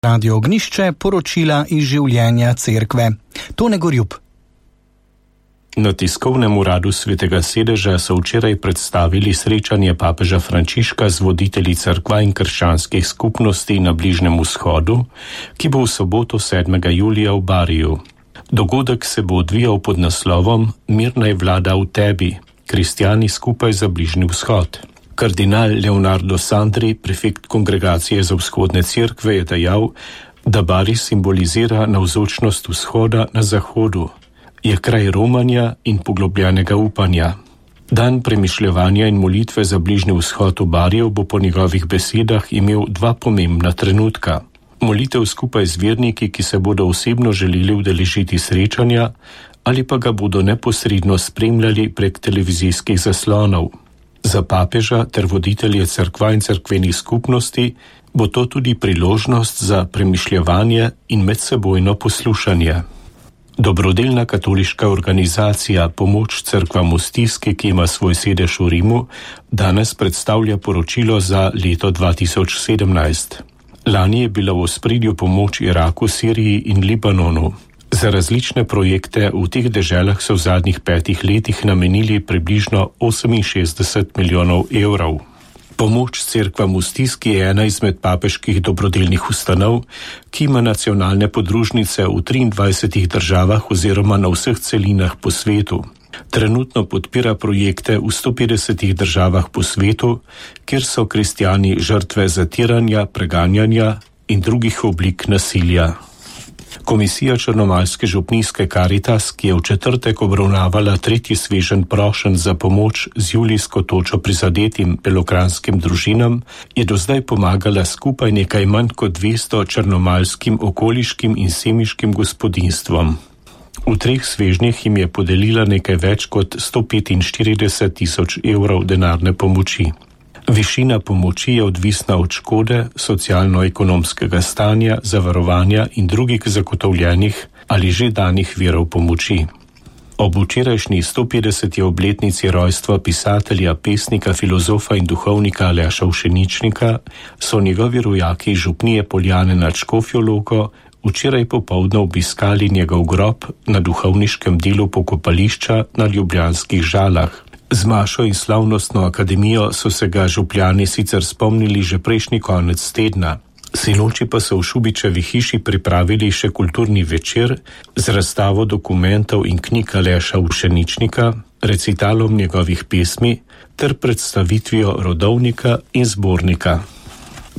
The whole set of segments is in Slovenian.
Radio Ognišče, poročila iz življenja cerkve. Tone Gorjup. Na tiskovnem uradu Svetega sedeža so včeraj predstavili srečanje papeža Frančiška z voditelji cerkva in krščanskih skupnosti na Bližnjem vzhodu, ki bo v soboto 7. julija v Bariju. Dogodek se bo odvijal pod naslovom Mir naj vlada v tebi, kristjani skupaj za Bližnji vzhod. Kardinal Leonardo Sandri, prefekt Kongregacije za vzhodne cerkve, je dejal, da Bari simbolizira navzočnost vzhoda na zahodu. Je kraj romanja in poglobljenega upanja. Dan premišljevanja in molitve za Bližnji vzhod v Bariju bo po njegovih besedah imel dva pomembna trenutka. Molitev skupaj z verniki, ki se bodo osebno želeli udeležiti srečanja, ali pa ga bodo neposredno spremljali prek televizijskih zaslonov. Za papeža ter voditelje cerkva in cerkvenih skupnosti bo to tudi priložnost za premišljevanje in medsebojno poslušanje. Dobrodelna katoliška organizacija Pomoč cerkvam v stiski, ki ima svoj sedež v Rimu, danes predstavlja poročilo za leto 2017. Lani je bila v ospredju pomoč Iraku, Siriji in Libanonu. Za različne projekte v teh deželah so v zadnjih 5 letih namenili približno 68 milijonov evrov. Pomoč cerkvam v stiski je ena izmed papeških dobrodelnih ustanov, ki ima nacionalne podružnice v 23 državah oziroma na vseh celinah po svetu. Trenutno podpira projekte v 150 državah po svetu, kjer so kristjani žrtve zatiranja, preganjanja in drugih oblik nasilja. Komisija Črnomaljske župnijske Karitas, ki je v četrtek obravnavala 3. sveženj prošenj za pomoč z julijsko točo prizadetim belokranjskim družinam, je do zdaj pomagala skupaj nekaj manj kot 200 črnomaljskim okoliškim in semiškim gospodinjstvom. V 3 svežnjih jim je podelila nekaj več kot 145 tisoč evrov denarne pomoči. Višina pomoči je odvisna od škode, socialno-ekonomskega stanja, zavarovanja in drugih zagotovljenih ali že danih virov pomoči. Ob včerajšnji 150. obletnici rojstva pisatelja, pesnika, filozofa in duhovnika Aleša Ušeničnika so njegovi rojaki župnije Poljane nad Škofjo Loko včeraj popoldne obiskali njegov grob na duhovniškem delu pokopališča na ljubljanskih Žalah. Z mašo in slavnostno akademijo so se ga župljani sicer spomnili že prejšnji konec tedna. Sinoči pa so v Šubičevi hiši pripravili še kulturni večer z razstavo dokumentov in knjig Aleša Ušeničnika, recitalom njegovih pesmi ter predstavitvijo rodovnika in zbornika.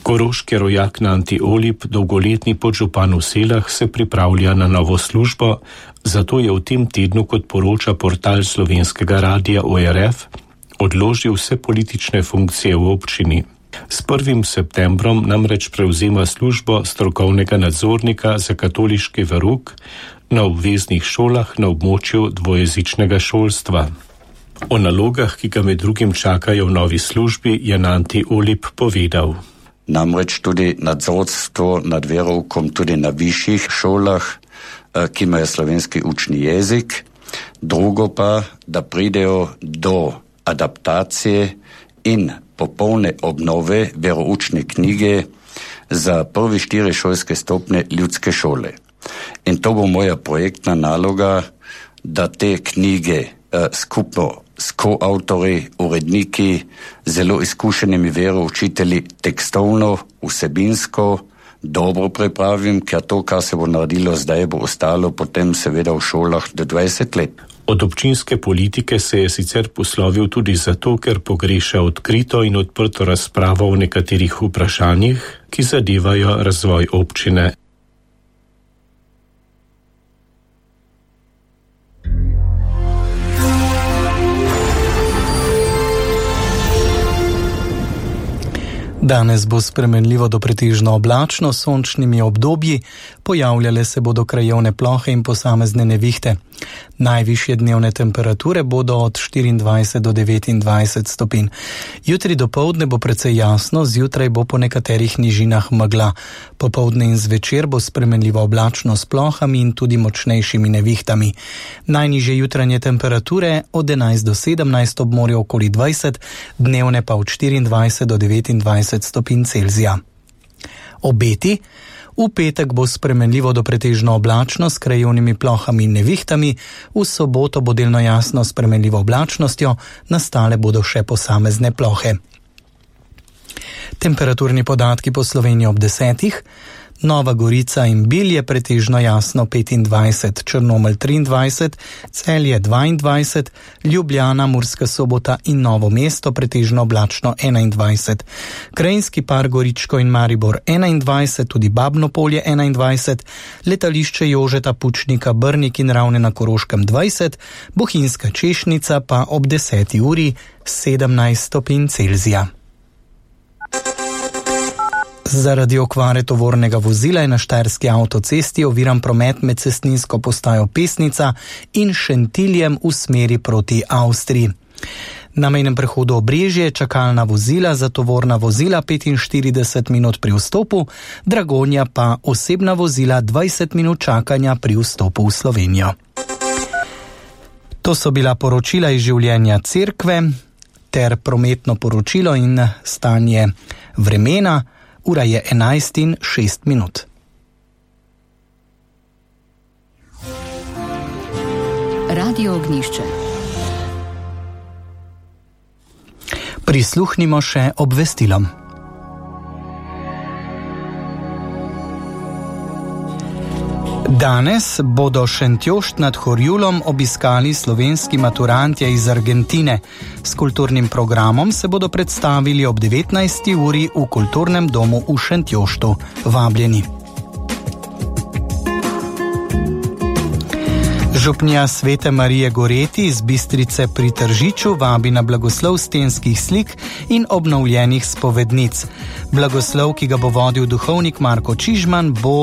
Koroški rojak Nanti Olip, dolgoletni podžupan v Selah, se pripravlja na novo službo, zato je v tem tednu, kot poroča portal slovenskega radia ORF, odložil vse politične funkcije v občini. S 1. septembrom namreč prevzema službo strokovnega nadzornika za katoliški verouk na obveznih šolah na območju dvojezičnega šolstva. O nalogah, ki ga med drugim čakajo v novi službi, je Nanti Olip povedal. Namreč tudi nadzorstvo nad veroukom tudi na višjih šolah, ki imajo slovenski učni jezik. Drugo pa, da pridejo do adaptacije in popolne obnove veroučne knjige za prvi 4 šolske stopnje ljudske šole. In to bo moja projektna naloga, da te knjige skupno s koavtori, uredniki, zelo izkušenimi veroučitelji tekstovno, vsebinsko dobro pripravim, ker to, kar se bo naredilo zdaj, bo ostalo potem seveda v šolah do 20 let. Od občinske politike se je sicer poslovil tudi zato, ker pogreša odkrito in odprto razpravo o nekaterih vprašanjih, ki zadevajo razvoj občine. Danes bo spremenljivo do pretežno oblačno, s sončnimi obdobji, pojavljale se bodo krajevne plohe in posamezne nevihte. Najvišje dnevne temperature bodo od 24 do 29 stopinj. Jutri dopoldne bo precej jasno, zjutraj bo po nekaterih nižinah megla. Popoldne in zvečer bo spremenljivo oblačno s plohami in tudi močnejšimi nevihtami. Najnižje jutranje temperature od 11 do 17, ob morju okoli 20, dnevne pa od 24 do 29 stopinj Celzija. Obeti. V petek bo spremenljivo do pretežno oblačno s krajevnimi plohami in nevihtami, v soboto bo delno jasno s spremenljivo oblačnostjo, nastale bodo še posamezne plohe. Temperaturni podatki po Sloveniji ob 10. Nova Gorica in Bilje pretežno jasno 25, Črnomelj 23, Celje 22, Ljubljana, Murska Sobota in Novo mesto pretežno oblačno 21. Krajinski par Goričko in Maribor 21, tudi Babno Polje 21, letališče Jožeta Pučnika, Brnik in Ravne na Koroškem 20, Bohinjska Češnica pa ob 10. uri 17 stopinj Celzija. Zaradi okvare tovornega vozila je na štajerski avtocesti oviran promet med cestninsko postajo Pesnica in Šentiljem v smeri proti Avstriji. Na mejnem prehodu Obrežje je čakalna vozila za tovorna vozila 45 minut pri vstopu, Dragonja pa osebna vozila 20 minut čakanja pri vstopu v Slovenijo. To so bila poročila iz življenja cerkve ter prometno poročilo in stanje vremena. Ura je 11:06. Radio Ognjišče. Prisluhnimo še obvestilom. Danes bodo Šentjošt nad Horjulom obiskali slovenski maturantje iz Argentine. S kulturnim programom se bodo predstavili ob 19. uri v kulturnem domu v Šentjoštu. Vabljeni. Župnija Svete Marije Goreti iz Bistrice pri Tržiču vabi na blagoslov stenskih slik in obnovljenih spovednic. Blagoslov, ki ga bo vodil duhovnik Marko Čižman, bo